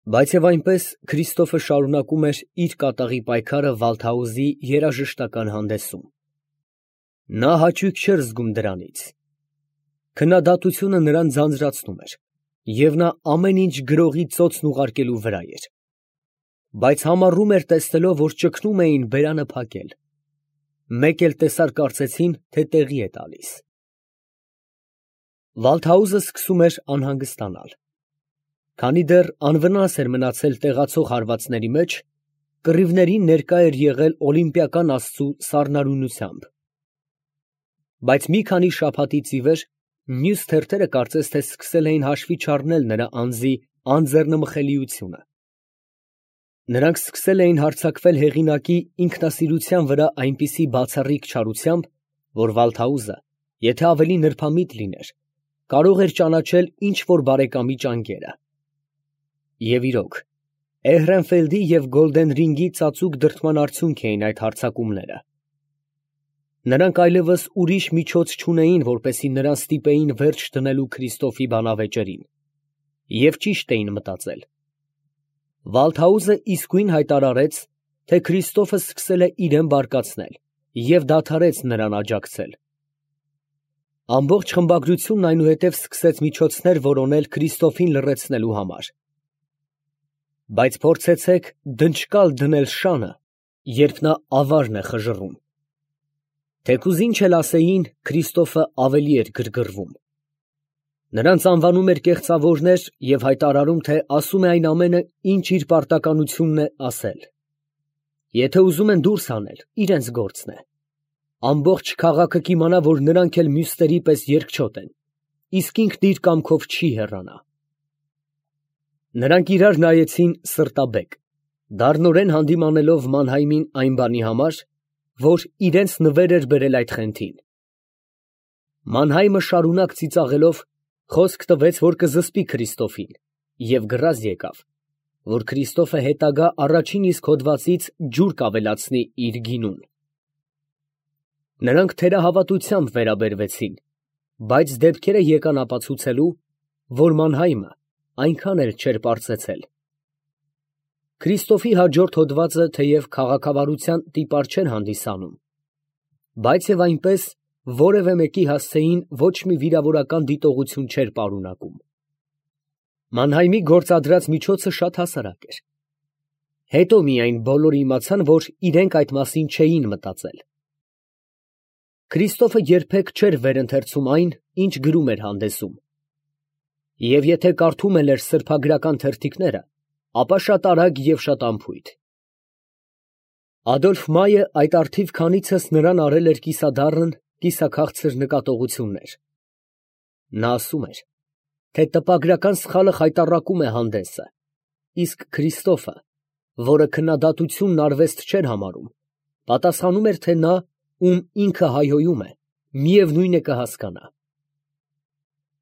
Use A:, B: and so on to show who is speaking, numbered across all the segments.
A: Բայց և այնպես Քրիստոֆը շարունակում էր իր կատաղի պայքարը Վալթհաուզի երաժշտական հանդեսում. նա հաճույք չէր զգում դրանից, քննադատությունը նրան ձանձրացնում էր, և նա ամեն ինչ գրողի ծոցն ուղարկելու վրա էր, բայց համառում էր տեսնելով, որ ճգնում էին բերանը փակել, մեկ էլ տեսար կարծեցին, թե տեղի է տալիս։ Վալթհաուզը սկսում էր անհանգստանալ, քանի դեռ անվնաս էր մնացել տեղացող հարվածների մեջ, կռիվներին ներկա էր եղել օլիմպիական աստծու սառնարյունությամբ։ Բայց մի քանի շաբաթից ի վեր մյուս թերթերը կարծես թե սկսել էին հաշվի չառնել նրա անձի անձեռնմխելիությունը։ Նրանք սկսել էին հարձակվել հեղինակի ինքնասիրության վրա այնպիսի բացառիկ չարությամբ, որ Վալթհաուզը, եթե ավելի նրբամիտ լիներ, կարող էր ճանաչել ինչ֊որ բարեկամի ճանկերը։ Եվ իրոք, Էհրենֆելդի և Գոլդենրինգի ծածուկ դրդման արդյունք էին այդ հարձակումները։ Նրանք այլևս ուրիշ միջոց չունեին, որպեսզի նրան ստիպեին վերջ դնելու Քրիստոֆի բանավեճերին, և ճիշտ էին մտածել։ Վալթհաուզը իսկույն հայտարարեց, թե Քրիստոֆը սկսել է իրան բարկացնել և դադարեց նրան աջակցել։ Ամբողջ խմբագրությունն այնուհետև սկսեց միջոցներ որոնել Քրիստոֆին լռեցնելու համար։ Բայց փորձեցեք դնչկալ դնել շանը, երբ նա ավարն է խժռում։ Թեկուզ ինչ էլ ասեին, Քրիստոֆը ավելի էր գրգռվում։ Նրանց անվանում էր կեղծավորներ և հայտարարում, թե ասում է այն ամենը, ինչ իր պարտականությունն է ասել։ Եթե ուզում են դուրս հանել, իրենց գործն է։ Ամբողջ քաղաքը կիմանա, որ նրանք էլ մյուսների պես երկչոտ են, իսկ ինքն իր կամքով չի հեռանա։ Նրանք իրար նայեցին սրտաբեկ, դառնորեն հանդիմանելով Մանհայմին այն բանի համար, որ իրենց նվեր էր բերել այդ խենթին։ Մանհայմը շարունակ ծիծաղելով խոսք տվեց, որ կզսպի Քրիստոֆին, և գրազ եկավ, որ Քրիստոֆը հետագա առաջին իսկ հոդվածից ջուր կավելացնի իր գինուն։ Նրանք թերահավատությամբ վերաբերվեցին, բայց դեպքերը եկան ապացուցելու, որ Մանհայմը այնքան էլ չէր պարծեցել։ Քրիստոֆի հաջորդ հոդվածը թեև քաղաքավարության տիպար չէր հանդիսանում, բայց և այնպես որևէ մեկի հասցեին ոչ մի վիրավորական դիտողություն չէր պարունակում։ Մանհայմի գործադրած միջոցը շատ հասարակ էր։ Հետո միայն բոլորը իմացան, որ իրենք այդ մասին չէին մտածել։ Քրիստոֆը երբեք չէր վերընթերցում այն, ինչ գրում էր հանդեսում։ Եվ եթե կարդում էլ էր սրբագրական թերթիկները, ապա շատ արագ և շատ անփույթ։ Ադոլֆ Մայը այդ առթիվ քանիցս նրան արել էր կիսադառն, կիսաքաղցր նկատողություններ։ Նա ասում էր, թե տպագրական սխալը խայտառակում է հանդեսը, իսկ Քրիստոֆը, որը քննադատությունն արվեստ չէր համարում, պատասխանում էր, թե նա, ում ինքը հայհոյում է, միևնույն է կհասկանա։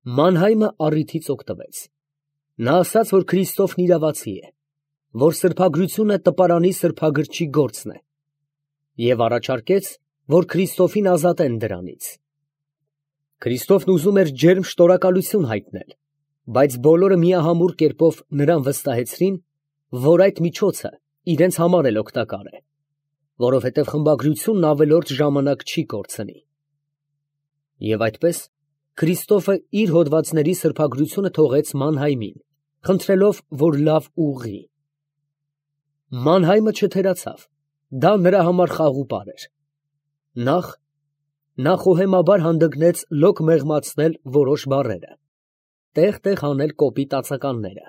A: Մանհայմը առիթից օգտվեց։ Նա ասաց, որ Քրիստոֆն իրավացի է, որ սրբագրությունը տպարանի սրբագրչի գործն է, և առաջարկեց, որ Քրիստոֆին ազատեն դրանից։ Քրիստոֆն ուզում էր ջերմ շնորհակալություն հայտնել, բայց բոլորը միահամուռ կերպով նրան վստահեցրին, որ այդ միջոցը իրենց համար էլ օգտակար է, որովհետև խմբագրությունն ավելորդ ժամանակ չի կորցնի։ Եվ այդպես Քրիստոֆը իր հոդվածների սրբագրությունը թողեց Մանհայմին, խնդրելով, որ լավ ուղղի։ Մանհայմը չթերացավ, դա նրա համար խաղուպար էր։ Նա խոհեմաբար հանդգնեց լոկ մեղմացնել որոշ բառերը, տեղ֊տեղ հանել կոպիտ ածականները։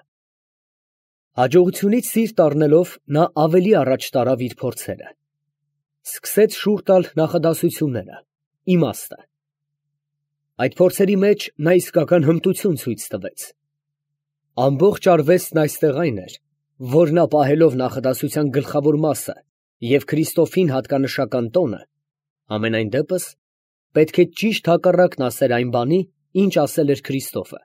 A: Հաջողությունից սիրտ առնելով, նա ավելի առաջ տարավ իր փորձերը։ Սկսեց շուռ տալ նախադասությունները, իմաստը։ Այդ փորձերի մեջ նա իսկական հմտություն ցույց տվեց։ Ամբողջ արվեստն այստեղ այն էր, որ նա պահելով նախադասության գլխավոր մասը և Քրիստոֆին հատկանշական տոնը, համենայն դեպս պետք է ճիշտ հակառակն ասեր այն բանի, ինչ ասել էր Քրիստոֆը։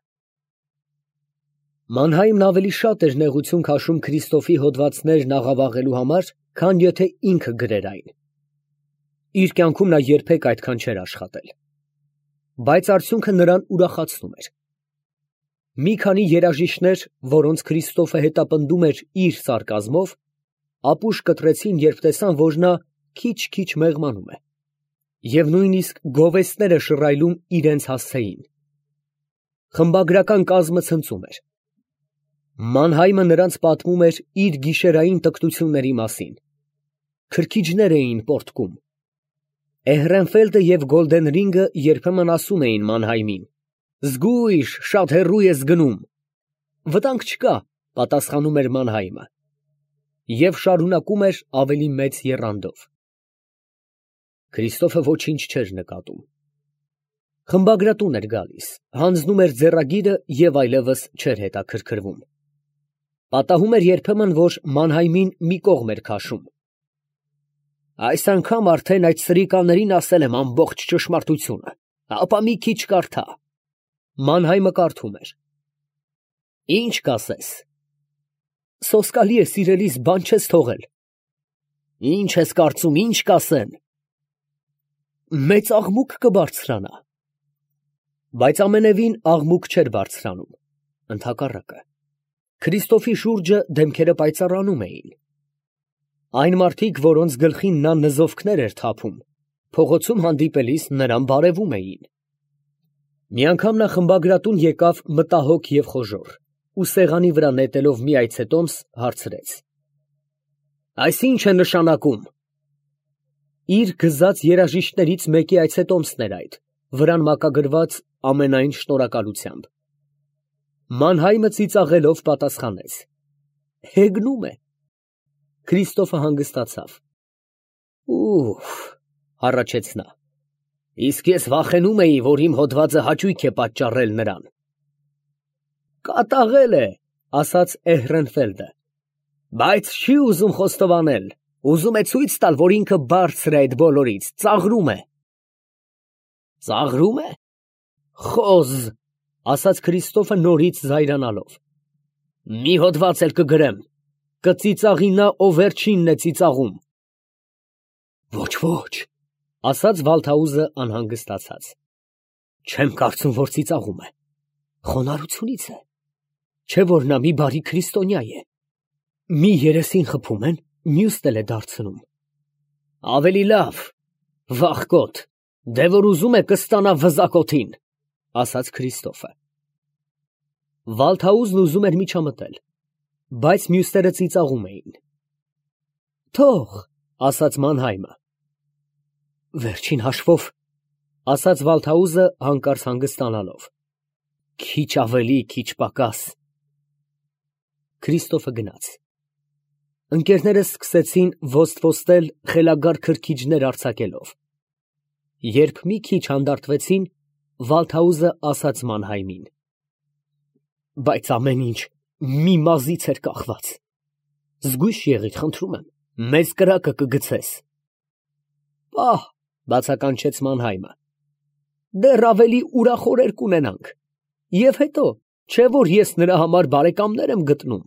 A: Մանհայմն ավելի շատ էր նեղություն քաշում Քրիստոֆի հոդվածներն աղավաղելու համար, քան եթե ինքը գրեր այն։ Իր կյանքում նա երբեք այդքան չէր աշխատել։ Բայց արդյունքը նրան ուրախացնում էր։ Մի քանի երաժիշտներ, որոնց Քրիստոֆը հետապնդում էր իր սարկազմով, ապուշ կտրեցին, երբ տեսան, որ նա քիչ-քիչ մեղմանում է, և նույնիսկ գովեստները շռայլում իրենց հասցեին։ Խմբագրական կազմը ցնծում էր։ Մանհայմը նրանց պատմում էր իր գիշերային տկտությունների մասին։ Քրքիջներ էին պոռթկում։ Էհրենֆելդը և Գոլդենրինգը երբեմն ասում էին Մանհայմին. «Զգույշ, շատ հեռու ես գնում»։ «Վտանգ չկա», պատասխանում էր Մանհայմը, և շարունակում էր ավելի մեծ եռանդով։ Քրիստոֆը ոչինչ չէր նկատում։ Խմբագրատուն էր գալիս, հանձնում էր ձեռագիրը և այլևս չէր հետաքրքրվում։ Պատահում էր երբեմն, որ Մանհայմին մի կողմ էր քաշում։ «Այս անգամ արդեն այդ սրիկաներին ասել եմ ամբողջ ճշմարտությունը, ապա մի քիչ կարդա»։ Մանհայմը կարդում էր։ «Ի՞նչ կասես»։ «Սոսկալի է, սիրելիս, բան չես թողել»։ «Ի՞նչ ես կարծում, ի՞նչ կասեն»։ «Մեծ աղմուկ կբարձրանա»։ Բայց ամենևին աղմուկ չէր բարձրանում, ընդհակառակը, Քրիստոֆի շուրջը դեմքերը պայծառանում էին։ Այն մարդիկ, որոնց գլխին նա նզովքներ էր թափում, փողոցում հանդիպելիս նրան բարևում էին։ Մի անգամ նա խմբագրատուն եկավ մտահոգ և խոժոռ, ու սեղանի վրա նետելով մի այցետոմս, հարցրեց. «Այս ի՞նչ է նշանակում»։ Իր գզած երաժիշտներից մեկի այցետոմսն էր այդ, վրան մակագրված ամենայն շնորհակալությամբ։ Մանհայմը ծիծաղելով պատասխանեց. «Հեգնում է»։ Քրիստոֆը հանգստացավ։ «Ուֆ», հառաչեց նա, «իսկ ես վախենում էի, որ իմ հոդվածը հաճույք է պատճառել նրան»։ «Կատաղել է», ասաց Էհրենֆելդը, «բայց չի ուզում խոստովանել, ուզում է ցույց տալ, որ ինքը բարձր է այդ բոլորից, ծաղրում է»։ «Ծաղրում է, խոզ», ասաց Քրիստոֆը նորից զայրանալով, «մի հոդված էլ կգրեմ, կծիծաղի նա, ով վերջինն է ծիծաղում»։ «Ոչ, ոչ», ասաց Վալթհաուզը անհանգստացած, «չեմ կարծում, որ ծիծաղում է, խոնարհությունից է, չէ՞ որ նա մի բարի քրիստոնյա է, մի երեսին խփում են, մյուսն էլ է դարձնում»։ «Ավելի լավ, վախկոտ, դե որ ուզում է կստանա վզակոթին», ասաց Քրիստոֆը։ Վալթհաուզն ուզում էր միջամտել, բայց մյուսները ծիծաղում էին։ «Թող», ասաց Մանհայմը։ «Վերջին հաշվով», ասաց Վալթհաուզը հանկարծ հանգստանալով, «քիչ ավելի, քիչ պակաս»։ Քրիստոֆը գնաց։ Ընկերները սկսեցին ոստվոստել խելագար քրքիջներ արձակելով։ Երբ մի քիչ հանդարտվեցին, Վալթհաուզը ասաց Մանհայմին. «Բայց ամեն ինչ մի մազից էր կախված։ Զգույշ եղիր, խնդրում եմ, մեծ կրակը կգցես»։ «Պահ», բացականչեց Մանհայմը, «դեռ ավելի ուրախ օրեր կունենանք, և հետո, չէ՞ որ ես նրա համար բարեկամներ եմ գտնում»։